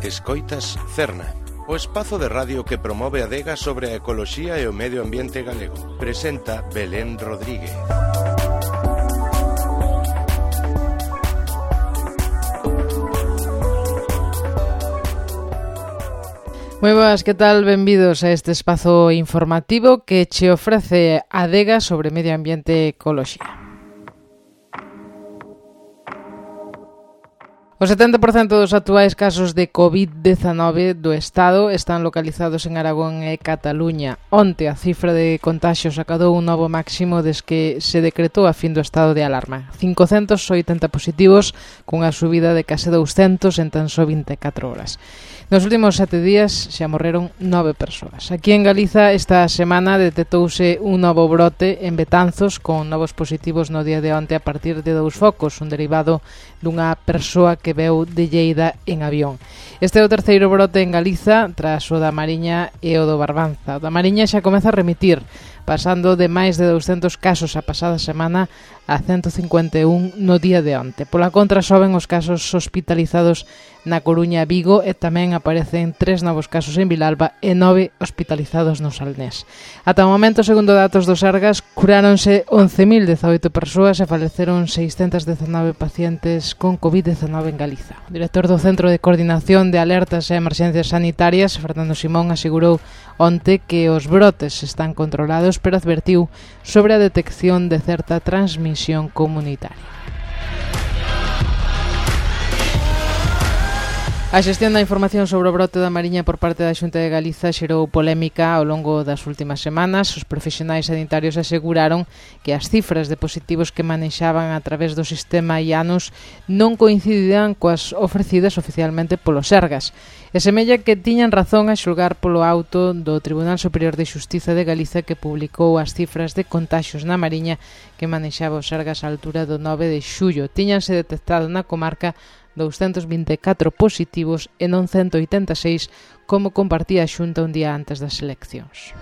Escoitas Cerna, o espazo de radio que promove a adega sobre a ecoloxía e o medio ambiente galego. Presenta Belén Rodríguez. Moi boas, que tal? Benvidos a este espazo informativo que che ofrece a adega sobre medio ambiente e ecoloxía. O 70% dos actuais casos de COVID-19 do Estado están localizados en Aragón e Cataluña. Onte a cifra de contaxios acadou un novo máximo desde que se decretou a fin do estado de alarma. 580 positivos, cunha subida de case 200 en tan só 24 horas. Nos últimos 7 días xa morreron 9 persoas. Aquí en Galiza esta semana detectouse un novo brote en Betanzos con novos positivos no día de onte a partir de 2 focos, un derivado dunha persoa que veu de Lleida en avión. Este é o terceiro brote en Galiza tras o da Mariña e o do Barbanza. O da Mariña xa comeza a remitir, pasando de máis de 200 casos a pasada semana a 151 no día de onte. Pola contra, soben os casos hospitalizados na Coruña e Vigo e tamén aparecen 3 novos casos en Vilalba e 9 hospitalizados no Salnés. Ata o momento, segundo datos do Sergas, curáronse 11.018 persoas e faleceron 619 pacientes con COVID-19 en Galiza. O director do Centro de Coordinación de Alertas e Emerxencias Sanitarias, Fernando Simón, asegurou onte que os brotes están controlados, pero advertiu sobre a detección de certa transmisión comunitaria. A xestión da información sobre o brote da Mariña por parte da Xunta de Galiza xerou polémica ao longo das últimas semanas. Os profesionais sanitarios aseguraron que as cifras de positivos que manexaban a través do sistema IANUS non coincidían coas ofrecidas oficialmente polo Sergas. E semella que tiñan razón a xulgar polo auto do Tribunal Superior de Xustiza de Galiza que publicou as cifras de contaxios na Mariña que manexaba o Sergas á altura do 9 de xullo. Tiñanse detectado na comarca 224 positivos e non 186, como compartía a Xunta un día antes das eleccións.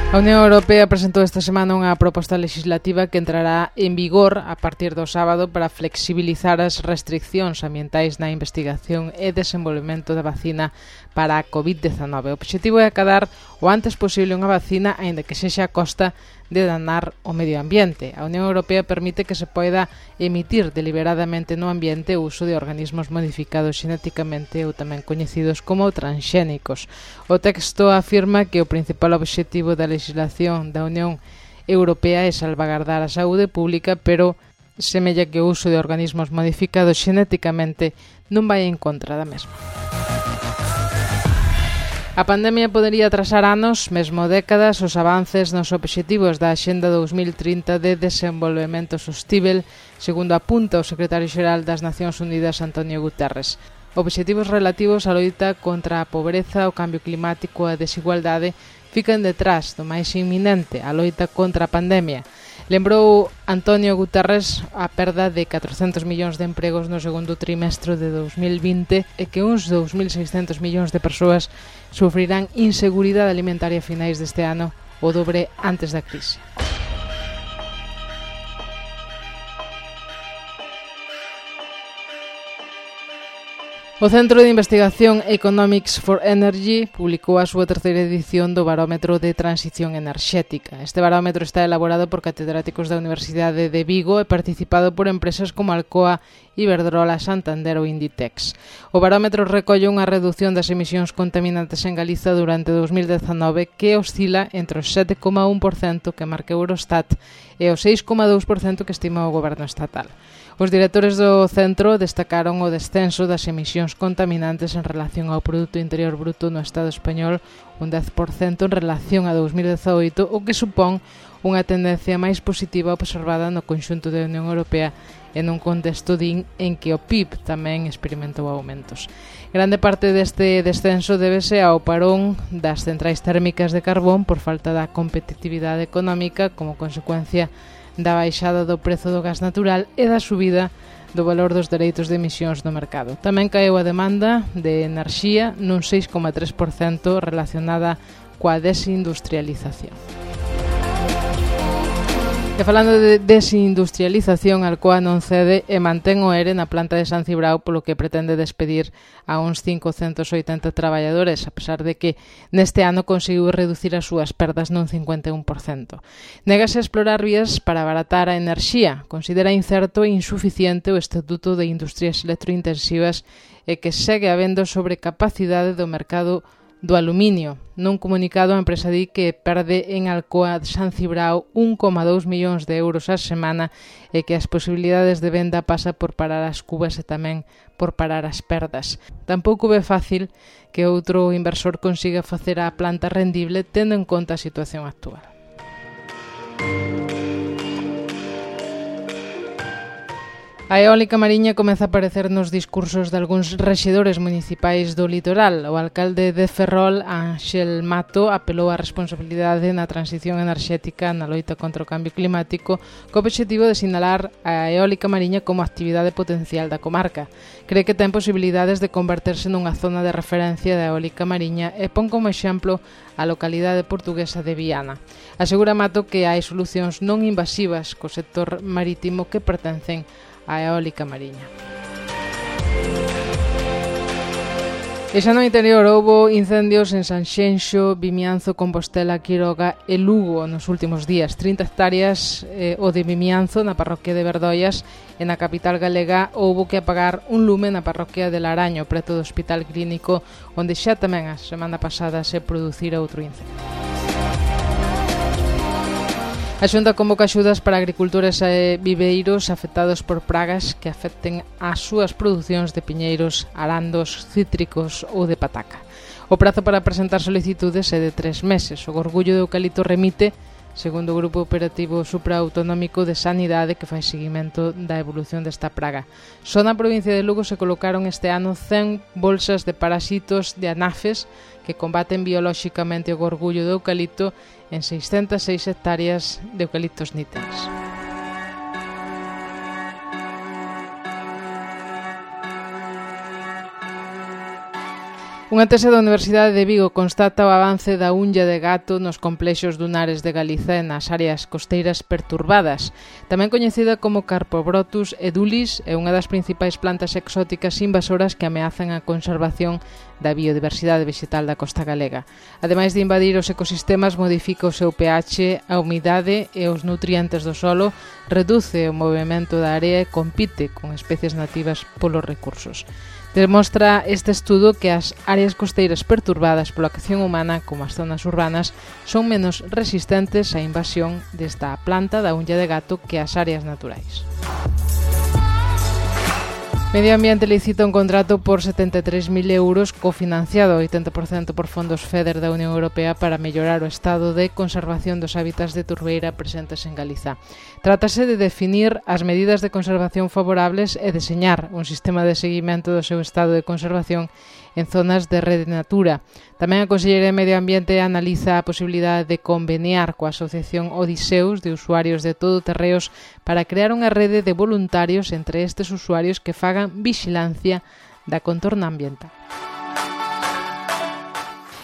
A Unión Europea presentou esta semana unha proposta legislativa que entrará en vigor a partir do sábado para flexibilizar as restriccións ambientais na investigación e desenvolvemento da vacina para a COVID-19. O obxectivo é acadar o antes posible unha vacina, aínda que sexa a costa de danar o medio ambiente. A Unión Europea permite que se poida emitir deliberadamente no ambiente o uso de organismos modificados xenéticamente ou tamén coñecidos como transxénicos. O texto afirma que o principal obxectivo da legislación da Unión Europea é salvagardar a saúde pública, pero semella que o uso de organismos modificados xenéticamente non vai en contra da mesma. A pandemia podería atrasar anos, mesmo décadas, os avances nos obxectivos da Axenda 2030 de Desenvolvemento Sostíbel, segundo apunta o secretario xeral das Nacións Unidas, Antonio Guterres. Obxectivos relativos á loita contra a pobreza, o cambio climático e a desigualdade fican detrás do máis inminente, a loita contra a pandemia. Lembrou Antonio Guterres a perda de 400 millóns de empregos no segundo trimestre de 2020 e que uns 2.600 millóns de persoas sufrirán inseguridade alimentaria a finais deste ano, o dobre antes da crise. O Centro de Investigación Economics for Energy publicou a súa terceira edición do Barómetro de Transición Enerxética. Este barómetro está elaborado por catedráticos da Universidade de Vigo e participado por empresas como Alcoa, Iberdrola, Santander ou Inditex. O barómetro recolle unha reducción das emisións contaminantes en Galiza durante 2019 que oscila entre o 7,1% que marca Eurostat e o 6,2% que estima o goberno estatal. Os directores do centro destacaron o descenso das emisións contaminantes en relación ao Produto Interior Bruto no Estado español, un 10% en relación a 2018, o que supón unha tendencia máis positiva observada no conxunto da Unión Europea en un contexto en que o PIB tamén experimentou aumentos. Grande parte deste descenso débese ao parón das centrais térmicas de carbón por falta da competitividade económica como consecuencia da baixada do prezo do gas natural e da subida do valor dos dereitos de emisións no mercado. Tamén caeu a demanda de enerxía nun 6,3% relacionada coa desindustrialización. E falando de desindustrialización, Alcoa non cede e mantén o ERE na planta de San Cibrao, polo que pretende despedir a uns 580 traballadores, a pesar de que neste ano conseguiu reducir as súas perdas nun 51%. Négase a explorar vías para abaratar a enerxía, considera incerto e insuficiente o Estatuto de Industrias Electrointensivas e que segue habendo sobrecapacidade do mercado do aluminio. Nun comunicado, a empresa di que perde en Alcoa de San Cibrao 1,2 millóns de euros a semana e que as posibilidades de venda pasa por parar as cubas e tamén por parar as perdas. Tampouco é fácil que outro inversor consiga facer a planta rendible tendo en conta a situación actual. A eólica mariña comeza a aparecer nos discursos de algúns rexedores municipais do litoral. O alcalde de Ferrol, Ángel Mato, apelou á responsabilidade na transición enerxética na loita contra o cambio climático co obxectivo de sinalar a eólica mariña como actividade potencial da comarca. Cree que ten posibilidades de converterse nunha zona de referencia da eólica mariña e pon como exemplo a localidade portuguesa de Viana. Asegura Mato que hai solucións non invasivas co sector marítimo que pertencen a eólica mariña. E xa no interior houbo incendios en Sanxenxo, Vimianzo, Compostela, Quiroga e Lugo nos últimos días. 30 hectáreas o de Vimianzo na parroquia de Verdoias e na capital galega houbo que apagar un lume na parroquia de Laraño, preto do Hospital Clínico, onde xa tamén a semana pasada se producira outro incendio. A Xunta convoca axudas para agricultores e viveiros afectados por pragas que afecten as súas producións de piñeiros, arandos, cítricos ou de pataca. O prazo para presentar solicitudes é de 3 meses. O Gorgullo de Eucalipto remite, segundo o Grupo Operativo Supraautonómico de Sanidade, que fai seguimento da evolución desta praga. Só na provincia de Lugo se colocaron este ano 100 bolsas de parasitos de anafes que combaten biolóxicamente o gorgullo de eucalipto en 606 hectáreas de eucaliptos níteres. Unha tese da Universidade de Vigo constata o avance da unlla de gato nos complexos dunares de Galiza e nas áreas costeiras perturbadas. Tamén coñecida como Carpobrotus edulis, é unha das principais plantas exóticas invasoras que ameazan a conservación da biodiversidade vegetal da costa galega. Ademais de invadir os ecosistemas, modifica o seu pH, a humidade e os nutrientes do solo, reduce o movimento da area e compite con especies nativas polos recursos. Demostra este estudo que as áreas costeiras perturbadas pola acción humana, como as zonas urbanas, son menos resistentes á invasión desta planta da unlla de gato que as áreas naturais. Medio Ambiente licita un contrato por 73.000 euros cofinanciado 80% por fondos FEDER da Unión Europea para mellorar o estado de conservación dos hábitats de turbeira presentes en Galiza. Trátase de definir as medidas de conservación favorables e deseñar un sistema de seguimento do seu estado de conservación en zonas de rede Natura. Tamén a Consellería de Medio Ambiente analiza a posibilidade de conveniar coa Asociación Odiseus de usuarios de todoterreos para crear unha rede de voluntarios entre estes usuarios que fagan vixilancia da contorna ambiental.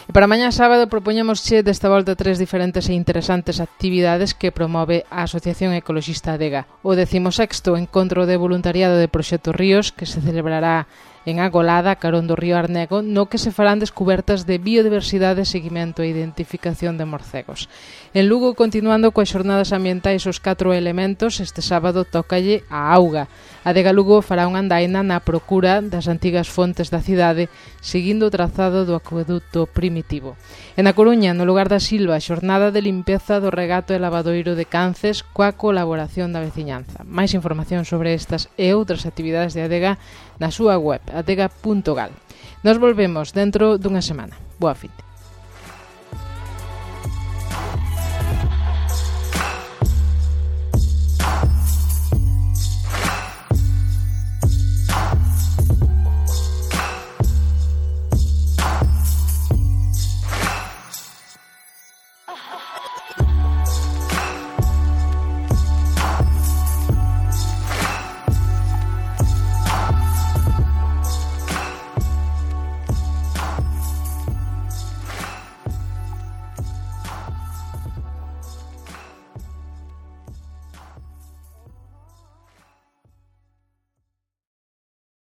E para mañá sábado propoñémosche desta volta 3 diferentes e interesantes actividades que promove a Asociación Ecoloxista Adega. O 16º Encontro de Voluntariado de Proxecto Ríos, que se celebrará en Agolada, carón do río Arnego, no que se farán descubertas de biodiversidade, seguimento e identificación de morcegos. En Lugo, continuando coas xornadas ambientais os 4 elementos, este sábado tócalle a auga. A Adega Lugo fará unha andaina na procura das antigas fontes da cidade, seguindo o trazado do acueduto primitivo. En A Coruña, no lugar da Silva, xornada de limpeza do regato e lavadoiro de Cances coa colaboración da veciñanza. Máis información sobre estas e outras actividades de Adega na súa web, adega.gal. Nos volvemos dentro dunha semana. Boa fin.